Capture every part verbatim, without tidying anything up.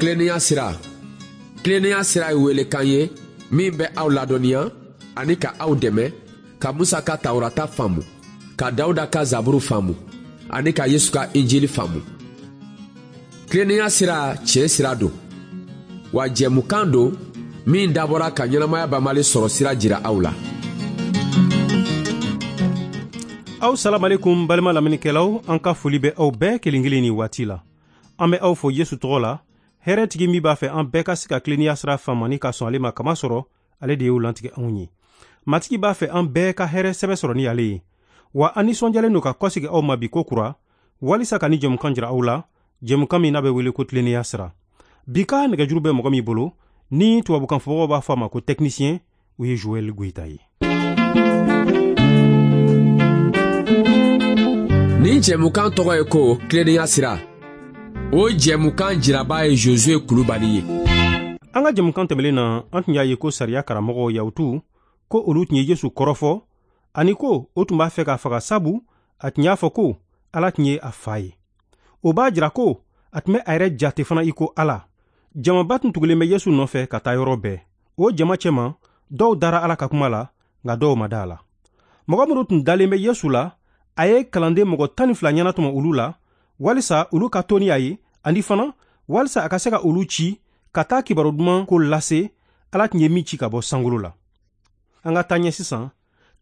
Tilennenya sira. Tilennenya sira ye welekan ye min bɛ aw ladɔnniya ani ka aw dɛmɛ ka Musa ka Tawurata faamu, ka Dawuda ka Zaburu faamu ani ka Yesu ka Injili faamu. Tilennenya sira tiɲɛ sira don, wa jɛmukan don min dabɔra ka ɲɛnamaya banbali sɔrɔ sira jira aw la. Aw salamalekum balima lamɛnnikɛlaw, an ka foli bɛ aw bɛɛ kelen kelen ni waati la. An bɛ aw fo Yesu tɔgɔ la, hɛrɛtigi min b'a fɛ an bɛɛ ka se ka tilennenya sira faamu ani ka sɔn ale ma, kama sɔrɔ ale de y'o lantigɛ anw ye. Matigi b'a fɛ an bɛɛ ka hɛrɛ sɛbɛ sɔrɔ ni ale ye. Wa an nisɔndiyalen don ka kɔsegi aw ma bi ko kura, walisa ka ni jɛmukan jira aw la, jɛmukan min n'a bɛ wele ko tilennenya sira. Bi ka nɛgɛjuru bɛ mɔgɔ min bolo, ni tubabukan fɔbagaw b'a fɔ a ma ko technicien, o ye Joël Goïta ye. Nin jɛmukan tɔgɔ ye ko tilennenya sira. O jɛmukan jiraba ye Josué Kulubali ye. An ka jɛmukan tɛmɛlen na, an tun y'a ye ko sariya karamɔgɔw Yahutu ko olu tun ye Yesu kɔrɔfɔ, ani ko o tun b'a fɛ k'a faga, sabu a tun y'a fɔ ko Ala tun ye a fa ye. O b'a jira ko a tun bɛ a yɛrɛ jate fana i ko Ala. Jamaba tun tugulen bɛ Yesu nɔfɛ ka taa yɔrɔ bɛɛ. O jama cɛma, dɔw dara Ala ka kuma la, nka dɔw ma da a la. Mɔgɔ minnu tun dalen bɛ Yesu la, a ye kalanden mɔgɔ tan ni fila ɲɛnatɔmɔ olu la, walisa olu ka to ni a ye, ani fana walisa a ka se ka olu ci ka taa kibaru duman ko lase Ala tun ye min ci ka bɔ sankolo la. An ka taa ɲɛ sisan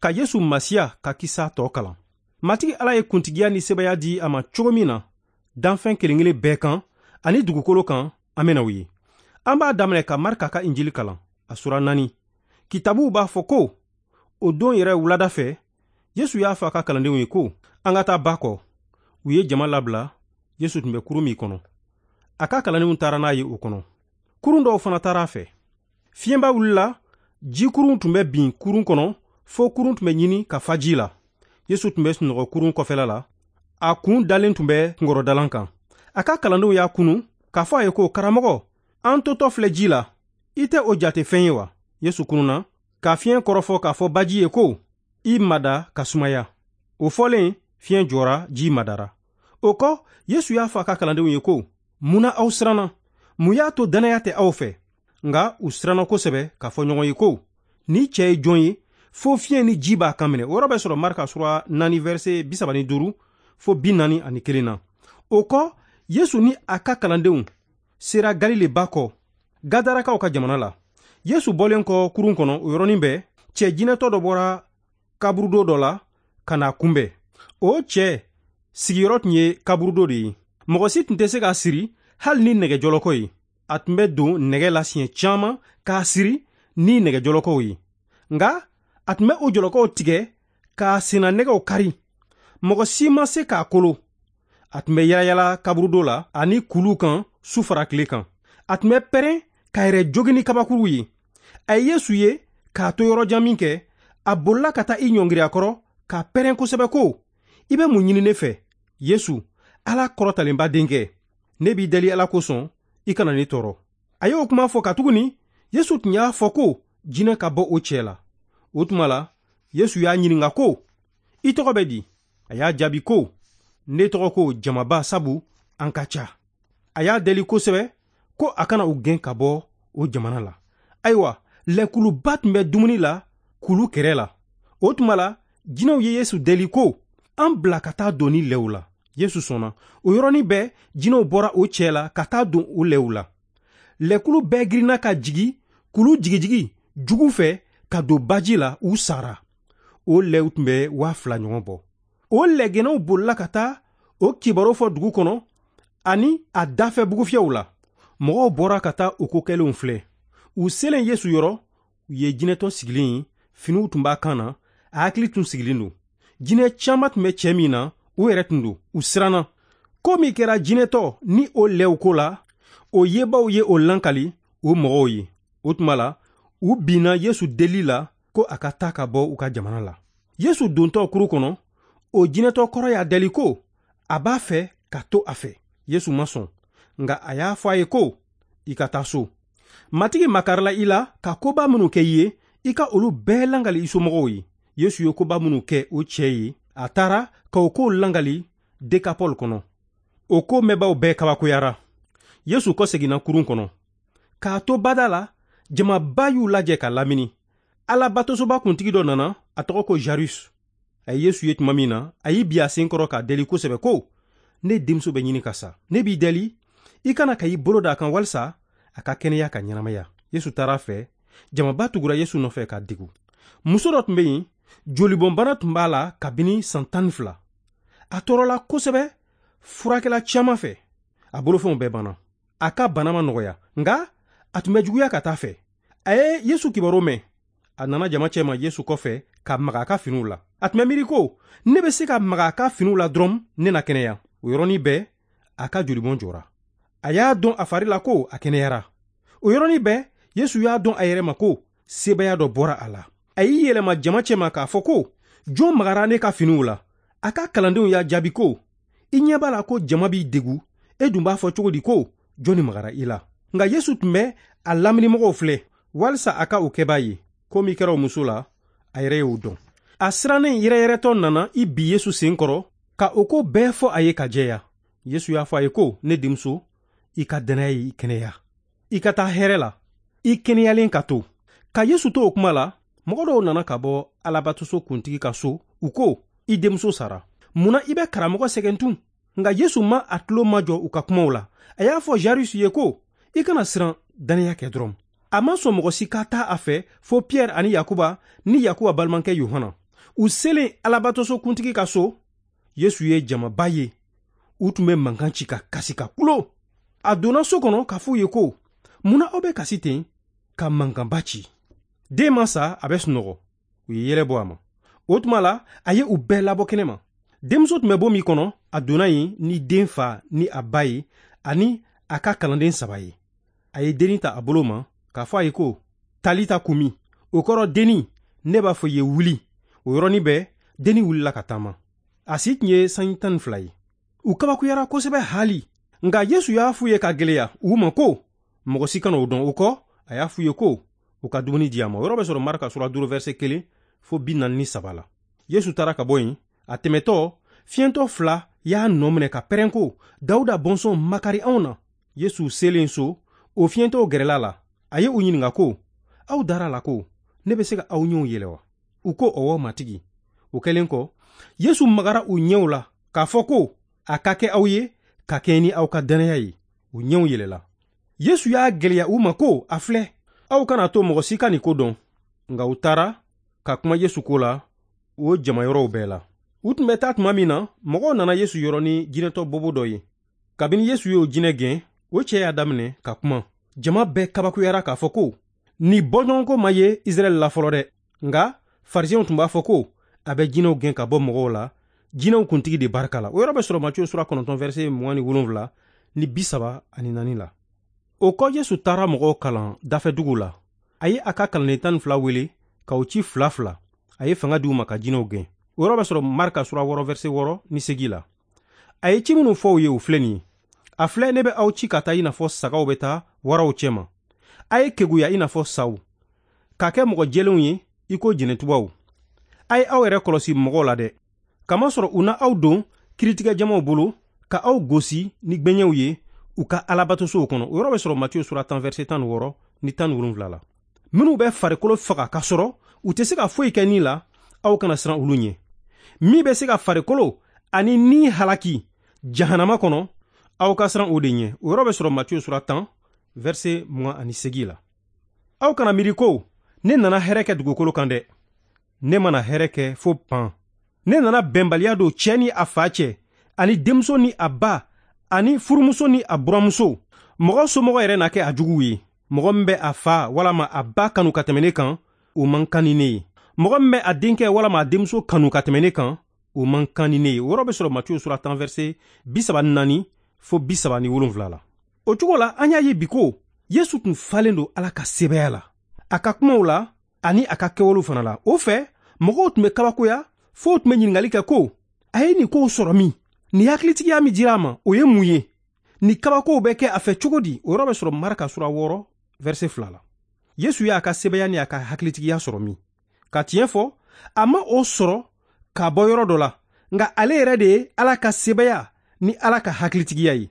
ka Yesu Masiya ka kisa tɔ kalan. Matigi Ala ye kuntigiya ni sebaya di a ma cogo min na danfɛn kelen kelen bɛɛ kan ani dugukolo kan, an bɛna o ye. An b'a daminɛ ka Marika ka Injili kalan, a sura naani. Kitabuw b'a fɔ ko o don yɛrɛ wulada fɛ, Yesu y'a fɔ a ka kalandenw ye ko an ka taa ba kɔ. U ye jama labila, Yesu tun bɛ kurun min kɔnɔ. A ka kalandenw taara n'a ye o kɔnɔ. Kurun dɔw fana taara a fɛ. Fiɲɛba wulila, jikurun tun bɛ bin kurun kɔnɔ, fo kurun tun bɛ ɲini ka fa ji la. Yesu tun bɛ sunɔgɔ kurun kɔfɛla la, a kun dalen tun bɛ kunkɔrɔdalan kan. A ka kalandenw y'a kunu k'a fɔ a ye ko karamɔgɔ, an totɔ filɛ ji la, i tɛ o jate fɛn ye wa? Yesu kununa ka fiɲɛ kɔrɔfɔ k'a fɔ baji ye ko i mada ka sumaya. O fɔlen, fiɲɛ jɔra, ji madara. O kɔ, Yesu y'a fɔ a ka kalandenw ye ko mun na aw siranna? Mun y'a to dannaya tɛ aw fɛ? Nka u siranna kosɛbɛ k'a fɔ ɲɔgɔn ye ko ni cɛ ye jɔn ye, fo fiɲɛ ni ji b'a kan minɛ. O yɔrɔ bɛ sɔrɔ Marika sura naani verset bi saba ni duuru fo bi naani ani kelen na. O kɔ, Yesu ni a ka kalandenw sera Galile ba kɔ, Gadarakaw ka jamana la. Yesu bɔlen kɔ kurun kɔnɔ, o yɔrɔnin bɛɛ, cɛ jinɛtɔ dɔ bɔra kaburudo dɔ la ka n'a kunbɛn. O cɛ sigiyɔrɔ tun ye kaburudo de ye. Mɔgɔ si tun tɛ se k'a siri hali ni nɛgɛjɔlɔkɔ ye. A tun bɛ don nɛgɛ la siɲɛ caman k'a siri ni nɛgɛjɔlɔkɔw ye. Nka a tun bɛ o jɔlɔkɔw tigɛ k'a senna nɛgɛw kari. Mɔgɔ si ma se k'a kolo. A tun bɛ yalayala kaburudo la ani kuluw kan su fara tile kan. A tun bɛ pɛrɛn k'a yɛrɛ jogin ni kabakuruw ye. A ye Yesu ye k'a to yɔrɔ jan min kɛ, a bolila ka taa i ɲɔngiri a kɔrɔ k'a pɛrɛn kosɛbɛ ko i bɛ mun ɲini ne fɛ, Yesu, Ala kɔrɔtalenba denkɛ? Ne b'i deli Ala kosɔn, i kana ne tɔɔrɔ. A y'o kuma fɔ katuguni Yesu tun y'a fɔ ko jinɛ ka bɔ o cɛ la. O tuma la, Yesu y'a ɲininka ko i tɔgɔ bɛ di? A y'a jaabi ko ne tɔgɔ ko jamaba, sabu an ka ca. A y'a deli kosɛbɛ ko a kana u gɛn ka bɔ o jamana la. Ayiwa, lɛkuluba tun bɛ dumuni la kulu kɛrɛ la. O tuma la, jinɛw ye Yesu deli ko an bila ka taa don ni lɛw la. Yesu sɔnna. O yɔrɔnin bɛɛ, jinɛw bɔra o cɛ la ka taa don o lɛw la. Lɛkulu bɛɛ girinna ka jigi kulu jigijigi jugu fɛ ka don baji la, u sara. O lɛw tun bɛ waa fila ɲɔgɔn bɔ. O lɛgɛnɛw bolila ka taa o kibaru fɔ dugu kɔnɔ ani a dafɛ bugufiyɛw la. Mɔgɔw bɔra ka taa o ko kɛlenw filɛ. U selen Yesu yɔrɔ, u ye jinɛtɔ sigilen ye, finiw tun b'a kan na, a hakili tun sigilen don. Jinɛ caman tun bɛ cɛ min na, o yɛrɛ tun don. U siranna. Ko min kɛra jinɛtɔ ni o lɛw ko la, o yebaw ye o lankali o mɔgɔw ye. O tuma la, u binna Yesu deli la ko a ka taa ka bɔ u ka jamana la. Yesu dontɔ kuru kɔnɔ, o jinɛtɔ kɔrɔ y'a deli ko a b'a fɛ ka to a fɛ. Yesu ma sɔn, nka a y'a fɔ a ye ko i ka taa so. Matigi makarila i la ka koba minnu kɛ i ye, i ka olu bɛɛ langali i somɔgɔw ye. Yesu ye koba minnu kɛ o cɛ ye, a taara ka o kow langali Dekapɔl kɔnɔ. O ko mɛnbaw bɛɛ kabakoyara. Yesu kɔseginna kurun kɔnɔ. K'a to bada la, jamaba y'u lajɛ ka lamini. Alabatosoba kuntigi dɔ nana, a tɔgɔ ko Jarus. A ye Yesu ye tuma min na, a y'i bi a sen kɔrɔ k'a deli kosɛbɛ ko: ne denmuso bɛ ɲini ka sa. Ne b'i deli, i kana ka i bolo da a kan walisa a ka kɛnɛya ka ɲɛnamaya. Yesu taara a fɛ, jamaba tugura Yesu nɔfɛ k'a degu. Muso dɔ tun bɛ yen, jolibɔnbana tun b'a la kabini san tan ni fila. A tɔɔrɔla kosɛbɛ furakɛla caman fɛ. A bolofɛnw bɛɛ banna. A ka bana ma nɔgɔya, nka a tun bɛ juguya ka taa fɛ. A ye Yesu kibaru mɛn. A nana jama cɛma Yesu kɔfɛ ka maga a ka finiw la. A tun bɛ miiri ko: ne bɛ se ka maga a ka finiw la dɔrɔn, ne na kɛnɛya. O yɔrɔnin bɛɛ, a ka jolibɔn jɔra. A y'a dɔn a fari la ko a kɛnɛyara. O yɔrɔnin bɛɛ, Yesu y'a dɔn a yɛrɛ ma ko sebaaya dɔ bɔra a la. A y'i yɛlɛma jama cɛma k'a fɔ ko: jɔn magara ne ka finiw la? A ka kalandenw y'a jaabi ko: i ɲɛ b'a la ko jama b'i degu, e dun b'a fɔ cogo di ko jɔnni magara i la? Nka Yesu tun bɛ a laminimɔgɔw filɛ walisa a ka o kɛbaa ye. Ko min kɛra o muso la, a yɛrɛ y'o dɔn. A sirannen yɛrɛyɛrɛtɔ nana i bi Yesu sen kɔrɔ ka o ko bɛɛ fɔ a ye ka jɛya. Yesu y'a fɔ a ye ko: ne denmuso, i ka dannaya y'i kɛnɛya. I ka taa hɛrɛ la, i kɛnɛyalen ka to. Ka Yesu to o kuma la, mɔgɔ dɔw nana ka bɔ Alabatoso kuntigi ka so, u ko: i denmuso sara. Munna i bɛ karamɔgɔ sɛgɛn tun? Nka Yesu ma a tulo majɔ u ka kumaw la. A y'a fɔ Jarus ye ko: i kana siran, dannaya kɛ dɔrɔn. A ma sɔn mɔgɔ si ka taa a fɛ fo Pierre ani Yakuba ni Yakuba balimakɛ Yohana. U selen Alabatoso kuntigi ka so, Yesu ye jamaba ye. U tun bɛ mankan ci ka kasi ka kulo. A donna so kɔnɔ k'a f'u ye ko: munna aw bɛ kasi ten ka mankanba ci? Den ma sa, a bɛ sunɔgɔ. U ye yɛlɛ bɔ a ma. O tuma la, a ye u bɛɛ labɔ kɛnɛ ma. Denmuso tun bɛ bon min kɔnɔ, a donna yen ni den fa ni a ba ye ani a ka kalanden saba ye. A ye dennin ta a bolo ma k'a fɔ a ye ko: Talita kumi. O kɔrɔ dennin, ne b'a fɔ i ye wuli. O yɔrɔnin bɛɛ, dennin wulila ka taama. A si tun ye sanji tan ni fila ye. U kabakuyara kosɛbɛ haali. Nka Yesu y'a f'u ye ka gɛlɛya u ma ko: mɔgɔ si kana o dɔn. O kɔ, a y'a f'u ye ko u ka dumuni di a ma. O yɔrɔ bɛ sɔrɔ Marka sura duuru verset kelen fo bi naani ni saba la. Yesu taara ka bɔ yen. A tɛmɛtɔ, fiyɛntɔ fila y'a nɔ minɛ ka pɛrɛn ko: Dawuda bɔnsɔn, makari anw na. Yesu selen so, o fiyɛntɔw gɛrɛla la. A ye u ɲininka ko: aw dara la ko ne bɛ se ka aw ɲɛw yɛlɛ wa? U ko: ɔwɔ, matigi. O kɛlen kɔ, Yesu magara u ɲɛw la k'a fɔ ko: a ka kɛ aw ye ka kɛɲɛ ni aw ka dannaya ye. U ɲɛw yɛlɛla. Yesu y'a gɛlɛya u ma ko: a filɛ, aw kana to mɔgɔ si ka nin ko dɔn. Nka u taara ka kuma Yesu ko la o jamayɔrɔw bɛɛ la. U tun bɛ taa tuma min na, mɔgɔw nana Yesu yɔrɔ ni jinɛtɔ bobo dɔ ye. Kabini Yesu y'o jinɛ gɛn, o cɛ y'a daminɛ ka kuma. Jama bɛɛ kabakuyara k'a fɔ ko: nin bɔɲɔgɔnko ma ye Israɛl la fɔlɔ dɛ. Nka farisɛnw tun b'a fɔ ko: a bɛ jinɛw gɛn ka bɔ mɔgɔw la, jinɛw kuntigi de barika la. O yɔrɔ bɛ sɔrɔ Matthieu sura kɔnɔntɔn verset mugan ni wolonwula ni bi saba ani naani la. O kɔ, Yesu taara mɔgɔw kalan dafɛduguw la. A ye a ka kalanden tan ni fila wele k'u ci fila fila. A ye fanga di u ma ka jinɛw gɛn. O yɔrɔ bɛ sɔrɔ Marka sura wɔɔrɔ verset wɔɔrɔ ni segin la. A ye ci minnu fɔ u ye, o filɛ nin ye: a filɛ, ne bɛ aw ci ka taa i n'a fɔ sagaw bɛ taa waraw cɛma. A ye keguya i n'a fɔ saw, ka kɛ mɔgɔ jɛlenw ye i ko jɛnɛtubaw. A ye aw yɛrɛ kɔlɔsi mɔgɔw la dɛ, kamasɔrɔ u na aw don kiiritigɛ jamaw bolo ka aw gosi ni gbɛɲɛw ye u ka alabatosow kɔnɔ. O yɔrɔ bɛ sɔrɔ Matthieu sura tan verset tan ni wɔɔrɔ ni tan ni wolonwula la. Minnu bɛ farikolo faga k'a sɔrɔ u tɛ se ka foyi kɛ ni la, aw kana siran olu ɲɛ. Min bɛ se ka farikolo ani ni halaki jahanama kɔnɔ, aw ka siran o de ɲɛ. O yɔrɔ bɛ sɔrɔ Matthieu sura tan verset mugan ani segin la. Aw kana miiri ko ne nana hɛrɛ kɛ dugukolo kan dɛ. Ne mana hɛrɛ kɛ fo pan. Ne nana bɛnbaliya don cɛ ni a fa cɛ, ani denmuso ni a ba, ani furumuso ni a buramuso. Mɔgɔ somɔgɔ yɛrɛ na kɛ a juguw ye. Mɔgɔ min bɛ a fa walama a ba kanu ka tɛmɛ ne kan, o man kan ni ne ye. Mɔgɔ min bɛ a denkɛ walama a denmuso kanu ka tɛmɛ ne kan, o man kan ni ne ye. O yɔrɔ bɛ sɔrɔ Matthieu sura tan verset bi saba ni naani fo bi saba ni wolonwula la. O cogo la, an y'a ye bi ko Yesu tun falen don Ala ka sebaaya la, a ka kumaw la ani a ka kɛwalew fana la. O fɛ, mɔgɔw tun bɛ kabakoya fo tun bɛ ɲininkali kɛ ko: a ye nin kow sɔrɔ min? Nin hakilitigiya min dira a ma, o ye mun ye? Nin kabakow bɛ kɛ a fɛ cogo di? O yɔrɔ bɛ sɔrɔ Marka sura wɔɔrɔ verset fila la. Yesu y'a ka sebaaya ni a ka hakilitigiya sɔrɔ min? Ka tiɲɛ fɔ, a ma o sɔrɔ ka bɔ yɔrɔ dɔ la, nka ale yɛrɛ de ye Ala ka sebaaya ni Ala ka hakilitigiya ye.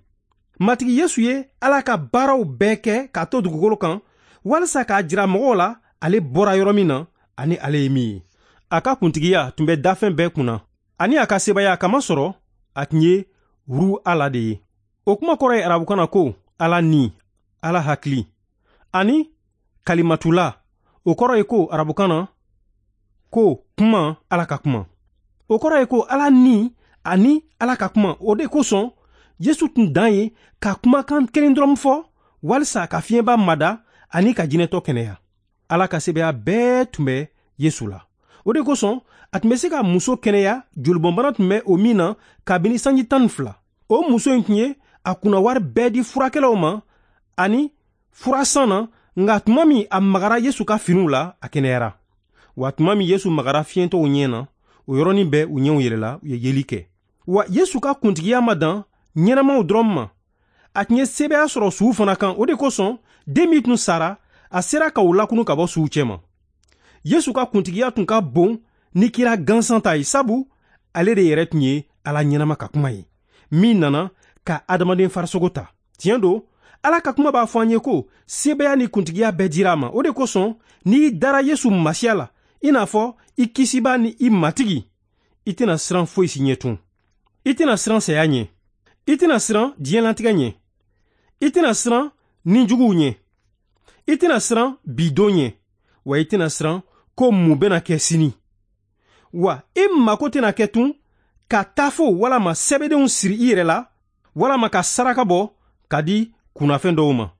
Matigi Yesu ye Ala ka baaraw bɛɛ kɛ k'a to dugukolo kan walisa k'a jira mɔgɔw la ale bɔra yɔrɔ min na ani ale ye min ye. A ka kuntigiya tun bɛ dafɛn bɛɛ kunna ani a ka sebaaya kamasɔrɔ a tun ye ru Ala de ye. O kuma kɔrɔ ye arabukan na ko Ala ni, Ala hakili, ani kalimatula, o kɔrɔ ye ko arabukan na ko kuma, Ala ka kuma. O kɔrɔ ye ko Ala ni ani Ala ka kuma. O de kosɔn Yesu tun dan ye ka kumakan kelen dɔrɔn fɔ walisa ka fiɲɛba mada ani ka jinɛtɔ kɛnɛya. Ala ka sebaaya bɛɛ tun bɛ Yesu la. O de kosɔn a tun bɛ se ka muso kɛnɛya jolibɔnbana tun bɛ o min na kabini sanji tan ni fila. O muso in tun ye a kunnawari bɛɛ di furakɛlaw ma ani furasan na, nka tuma min a magara Yesu ka finiw la, a kɛnɛyara. Wa tuma min Yesu magara fiyentɔw ɲɛ na, o yɔrɔnin bɛɛ u ɲɛw yɛlɛla, u ye yeli kɛ. Wa Yesu ka kuntigiya ma dan ɲɛnamaw dɔrɔn ma, a tun ye sebaaya sɔrɔ suw fana kan. O de kosɔn den min tun sara, a sera ka u lakunu ka bɔ suw cɛma. Yesu ka kuntigiya tun ka bon ni kira gansan ta ye, sabu ale de yɛrɛ tun ye Ala ɲɛnama ka kuma ye min nana ka adamaden farisogo ta. Tiɲɛ don, Ala ka kuma b'a fɔ an ye ko sebaaya ni kuntigiya bɛɛ dira a ma. O de kosɔn n'i dara Yesu Masiya la i n'a fɔ i kisibaa ni i matigi, i tɛna siran foyi si ɲɛ tun. I tɛna siran saya ɲɛ, i tɛna siran diɲɛlatigɛ ɲɛ, i tɛna siran nijuguw ɲɛ, i tɛna siran bidon ɲɛ, wa i tɛna siran ko mun bɛna kɛ sini. Wa i mako tɛna kɛ tun ka tafo walama sɛbɛdenw siri i yɛrɛ la walama ka saraka bɔ ka di kunnafɛn dɔw ma.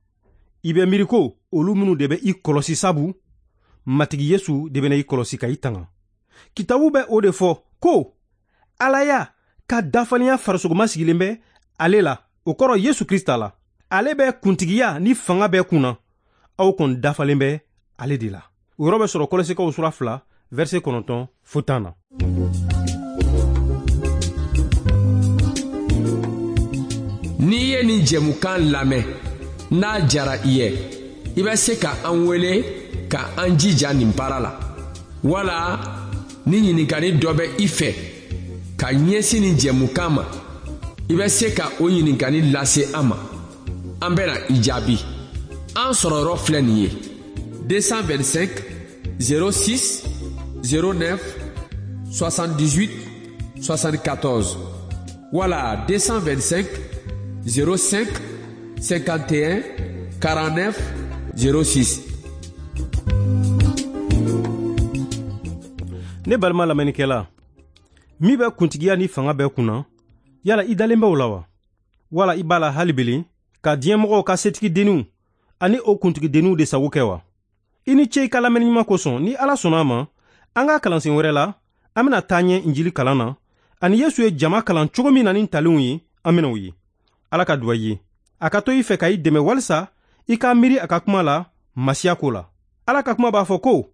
I bɛ miiri ko olu minnu de bɛ i kɔlɔsi, sabu Matigi Yesu de bɛna i kɔlɔsi ka i tanga. Kitabu bɛ o de fɔ ko Alaya ka dafalenya farisogoma sigilen bɛ ale la, o kɔrɔ Yesu Krista la. Ale bɛ kuntigiya ni fanga bɛɛ kunna, aw kɔni dafalen bɛ ale de la. O yɔrɔ bɛ sɔrɔ Kɔlɔsikaw sura fila verset kɔnɔntɔn fo tan na. N'i ye nin jɛmukan lamɛn n'a jara i ye, i bɛ se ka an wele ka an jija nin baara la, wala ni ɲininkali dɔ bɛ i fɛ ka ɲɛsin nin jɛmukan ma, i bɛ se ka o ɲininkali lase an ma, an bɛna i jaabi. An sɔrɔyɔrɔ filɛ nin ye: deux cent vingt-cinq zéro six zéro neuf soixante-dix-huit soixante-quatorze wala deux cent vingt-cinq zéro cinq cinquante et un quarante-neuf zéro six. Ne balima lamɛnnikɛla, min bɛ kuntigiya ni fanga bɛɛ kunna, yala i dalen bɛ o la wa? Wala i b'a la hali belen ka diɲɛmɔgɔw ka setigidenninw ani o kuntigidenninw de sago kɛ wa? I ni ce i ka lamɛnni ɲuman kosɔn. Ni Ala sɔnna a ma, an ka kalansen wɛrɛ la, an bɛna taa ɲɛ Injili kalan na ani Yesu ye jama kalan cogo min na ni talenw ye, an bɛna o ye. Ala ka duwa i ye, a ka to i fɛ ka i dɛmɛ walisa i ka miiri a ka kuma la Masiya ko la. Ala ka kuma b'a fɔ ko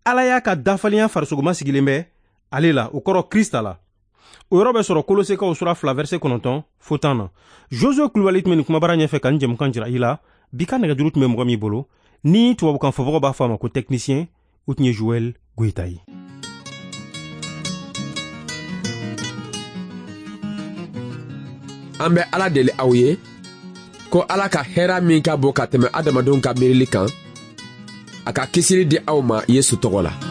Ala y'a ka dafalenya farisogoma sigilen bɛ ale la, o kɔrɔ Krista la. O yɔrɔ bɛ sɔrɔ Kolosekaw sura fila verset kɔnɔntɔn fo tan na. Josue Kulubali tun bɛ nin kumabara ɲɛfɛ ka nin jɛmukan jira i la. Bi ka nɛgɛjuru tun bɛ mɔgɔ min bolo ni tubabukan fɔbagaw b'a fɔ a ma ko technicien, o tun ye Joël Goyita ye. An bɛ Ala deli aw ye ko Ala ka hɛrɛ min ka bon ka tɛmɛ adamadenw ka miirili kan, a ka kisili di aw ma Yesu tɔgɔ la.